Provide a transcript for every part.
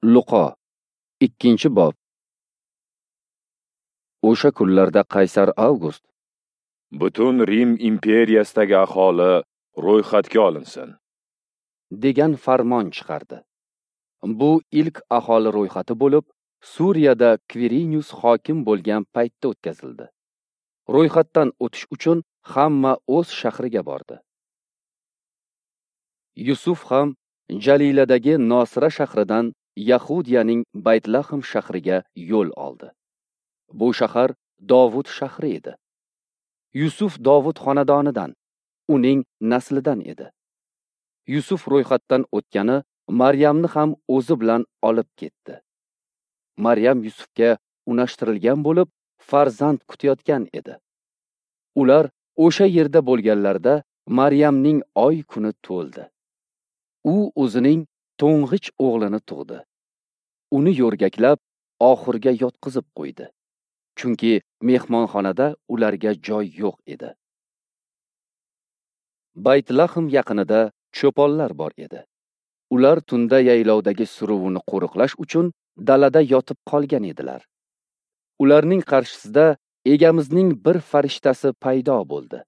Luqo, 2-bob. O'sha kunlarda Qaysar Avgust butun Rim imperiyasidagi aholi ro'yxatga olinsin degan farmon chiqardi. Bu ilk aholi ro'yxati bo'lib, Suriyada Kvirinius hokim bo'lgan paytda o'tkazildi. Ro'yxatdan o'tish uchun hamma o'z shahriga bordi. Yusuf ham Jaliladagi Nosira shahridan Yahudiyaning Baytlahm shahriga yo'l oldi. Bu shahar Dovud shahri edi. Yusuf Dovud xonadonidan, uning naslidan edi. Yusuf ro'yxatdan o'tgani Maryamni ham o'zi bilan olib ketdi. Maryam Yusufga unashtirilgan bo'lib, farzand kutayotgan edi. Ular o'sha yerda bo'lganlarida Maryamning oy kuni to'ldi. U o'zining to'ng'ich o'g'lini tug'di. Uni yo'rgaklab oxurga yotqizib qo'ydi. Chunki mehmonxonada ularga joy yo'q edi. Baytlahm yaqinida cho'ponlar bor edi. Ular tunda yaylovdagi suruvini qo'riqlash uchun dalada yotib qolgan edilar. Ularning qarshisida Egamizning bir farishtasi paydo bo'ldi.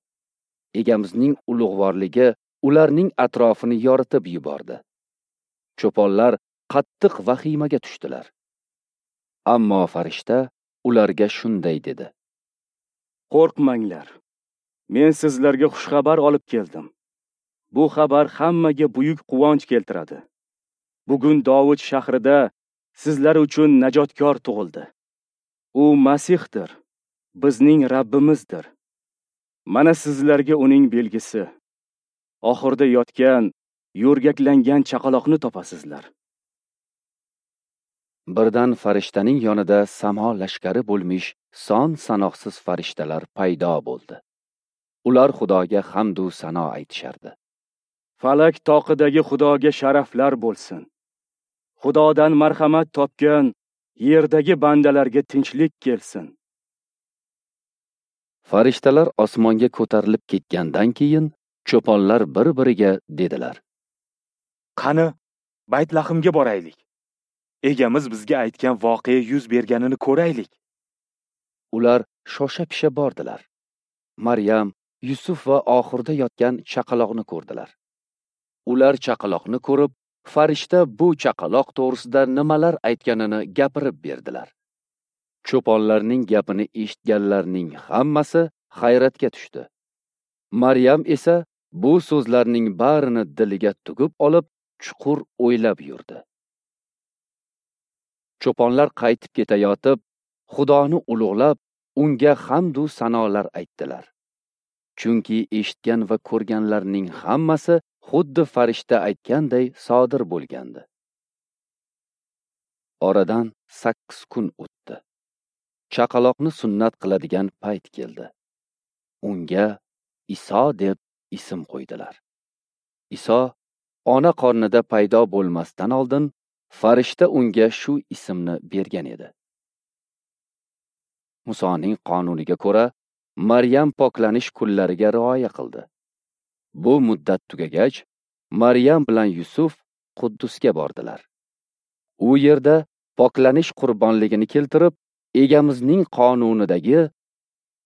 Egamizning ulug'vorligi ularning atrofini yoritib yubordi. Cho'ponlar qattiq vahimaga tushdilar. Ammo farishta ularga shunday dedi: Qo'rqmanglar. Men sizlarga xushxabar olib keldim. Bu xabar hammaga buyuk quvonch keltiradi. Bugun Dovud shahrida sizlar uchun najotkor tug'ildi. U Masihdir, bizning Rabbimizdir. Mana sizlarga uning belgisi. Oxirda yotgan, yo'rgaklangan chaqaloqni topasizlar. Birdan farishtaning yonida samo lashkari bo'lmish son sanoqsiz farishtalar paydo bo'ldi. Ular Xudoga hamd u sano aytishardi. Falak toqidagi Xudoga sharaflar bo'lsin. Xudodan marhamat topgan yerdagi bandalarga tinchlik kelsin. Farishtalar osmonga ko'tarilib ketgandan keyin cho'ponlar bir-biriga dedilar: Qani, Baytlahimga boraylik. Egamiz bizga aytgan voqea yuz berganini ko'raylik. Ular shosha-pisha bordilar. Maryam, Yusuf va oxirda yotgan chaqaloqni ko'rdilar. Ular chaqaloqni ko'rib, farishta bu chaqaloq to'g'risida nimalar aytganini gapirib berdilar. Cho'ponlarning gapini eshitganlarning hammasi hayratga tushdi. Maryam esa bu so'zlarning barini diliga tugib olib, chuqur o'ylab yurdi. Cho'ponlar qaytib ketayotib, Xudoni ulug'lab, unga hamd u sanolar aytdilar. Chunki eshitgan va ko'rganlarning hammasi xuddi farishta aytganday sodir bo'lgandi. Oradan 8 kun o'tdi. Chaqaloqni sunnat qiladigan payt keldi. Unga Iso deb ism qo'ydilar. Iso ona qornida paydo bo'lmasdan oldin farishta unga shu ismni bergan edi. Musoning qonuniga ko'ra, Maryam poklanish kunlariga rioya qildi. Bu muddat tugagach, Maryam bilan Yusuf Quddusga bordilar. U yerda poklanish qurbonligini keltirib, Egamizning qonunidagi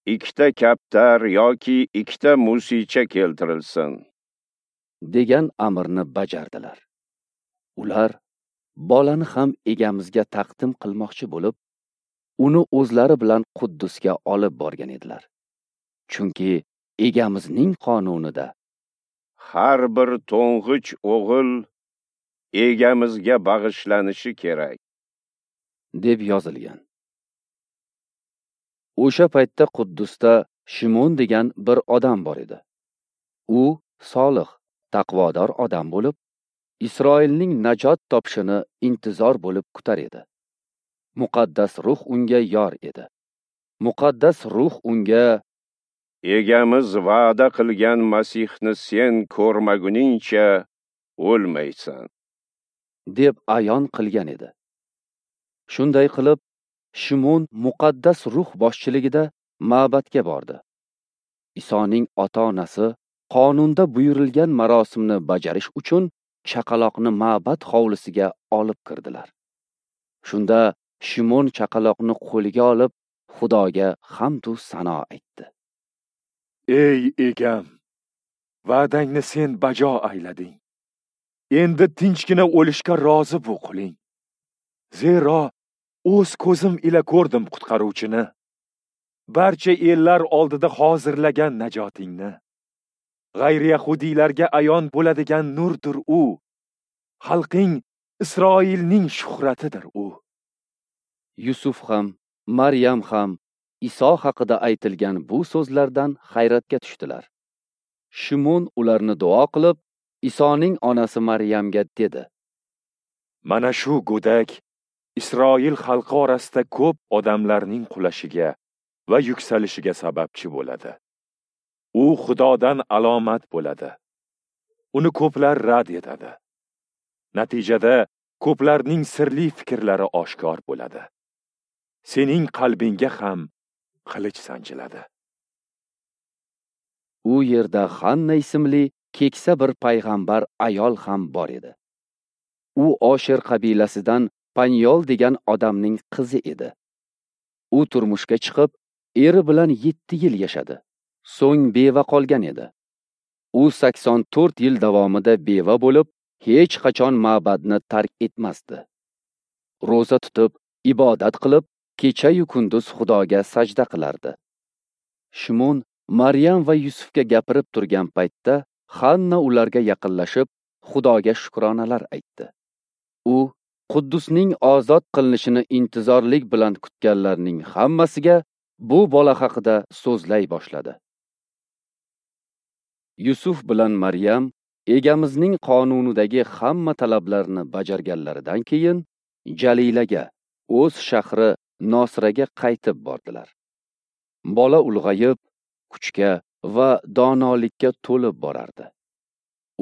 2 kaptar yoki 2 musicha keltirilsin degan amrni bajardilar. Ular bolani ham Egamizga taqdim qilmoqchi bo'lib, uni o'zlari bilan Quddusga olib borgan edilar. Chunki Egamizning qonunida har bir to'ng'ich o'g'il Egamizga bag'ishlanishi kerak deb yozilgan. O'sha paytda Quddusda Shimon degan bir odam bor edi. U solih, taqvodor odam bo'lib, Isroilning najot topishini intizor bo'lib kutar edi. Muqaddas ruh unga yor edi. Muqaddas ruh unga: Egamiz va'da qilgan Masihni sen ko'rmaguningcha o'lmaysan, deb ayon qilgan edi. Shunday qilib, Shimon muqaddas ruh boshchiligida ma'batga bordi. Isoning ota-onasi qonunda buyurilgan marosimni bajarish uchun chaqaloqni ma'bad hovlisiga olib kirdilar. Shunda Shimon chaqaloqni qo'liga olib, Xudoga hamd u sano aytdi. Ey egam, va'dangni sen bajo aylading. Endi tinchgina o'lishga rozi bu quling. Zero o'z ko'zim ila ko'rdim qutqaruvchini. Barcha ellar oldida hozirlagan najotingni. G'ayri yahudiylarga ayon bo'ladigan nurdir u. Xalqing Isroilning shuhratidir u. Yusuf ham, Maryam ham Iso haqida aytilgan bu so'zlardan hayratga tushdilar. Shimon ularni duo qilib, Isoning onasi Maryamga dedi: Mana shu go'dak Isroil xalqi orasida ko'p odamlarning qulashiga va yuksalishiga sababchi bo'ladi. U Xudodan alomat bo'ladi. Uni ko'plar rad etadi. Natijada ko'plarning sirli fikrlari oshkor bo'ladi. Sening qalbingga ham qilich sanchiladi. U yerda Xanna ismli keksa bir payg'ambar ayol ham bor edi. U Osher qabilasidan Panyol degan odamning qizi edi. U turmushga chiqib, eri bilan 7 yil yashadi. So'ng beva qolgan edi. U 84 yil davomida beva bo'lib, hech qachon ma'badni tark etmasdi. Ro'za tutib, ibodat qilib, kecha-yu kunduz Xudoga sajda qilardi. Shimon Maryam va Yusufga gapirib turgan paytda Xanna ularga yaqinlashib, Xudoga shukronalar aytdi. U Quddusning ozod qilinishini intizorlik bilan kutganlarning hammasiga bu bola haqida so'zlay boshladi. Yusuf bilan Maryam Egamizning qonunidagi hamma talablarni bajarganlaridan keyin Jalilaga, o'z shahri Nosiraga qaytib bordilar. Bola ulg'ayib, kuchga va donolikka to'lib borardi.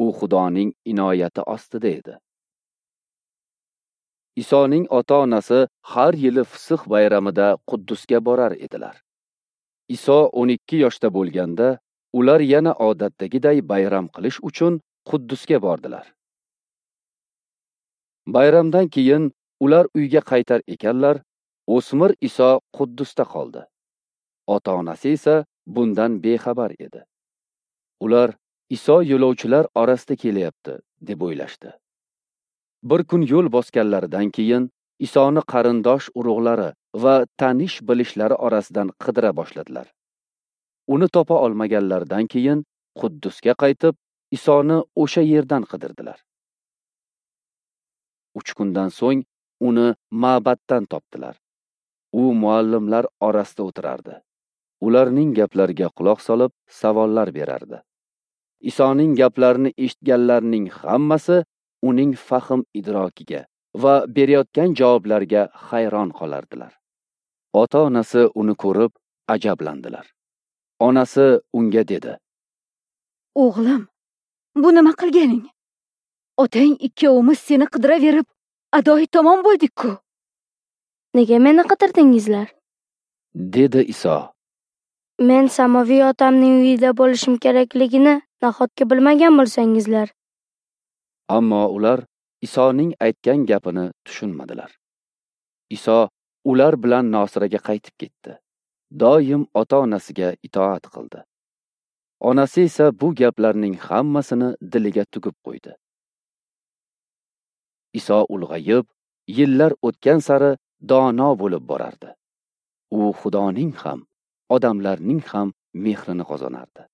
U Xudoning inoyati ostida edi. Isoning ota-onasi har yili Fisix bayramida Quddusga borar edilar. Iso 12 yoshda bo'lganda, ular yana odatdagiday bayram qilish uchun Quddusga bordilar. Bayramdan keyin ular uyga qaytar ekanlar, o'smir Iso Quddusda qoldi. Ota-onasi esa bundan bexabar edi. Ular Iso yo'lovchilar orasida kelyapti deb o'ylashdi. Bir kun yo'l bosganlaridan keyin Isoni qarindosh urug'lari va tanish bilishlari orasidan qidira boshladilar. Uni topa olmaganlaridan keyin Quddusga qaytib, Isoni o'sha yerdan qidirdilar. 3 kundan so'ng uni ma'baddan topdilar. U muallimlar orasida o'tirardi. Ularning gaplariga quloq solib, savollar berardi. Isoning gaplarini eshitganlarning hammasi uning fahm idrokiga va berayotgan javoblarga hayron qolardilar. Ota-onasi uni ko'rib ajablandilar. Onasi unga dedi: O'g'lim, bu nima qilganing? Otang ikkovimiz seni qidiraverib, adoyi tamom bo'ldik-ku. Nega meni qidirdingizlar? Dedi Iso. Men samoviy otamning uyida bo'lishim kerakligini nahotki bilmagan bo'lsangizlar? Ammo ular Isoning aytgan gapini tushunmadilar. Iso ular bilan Nosiraga qaytib ketdi. Doim ota-onasiga itoat qildi. Onasi esa bu gaplarning hammasini diliga tugib qo'ydi. Iso ulg'ayib, yillar o'tgan sari dono bo'lib borardi. U Xudoning ham, odamlarning ham mehrini qozonardi.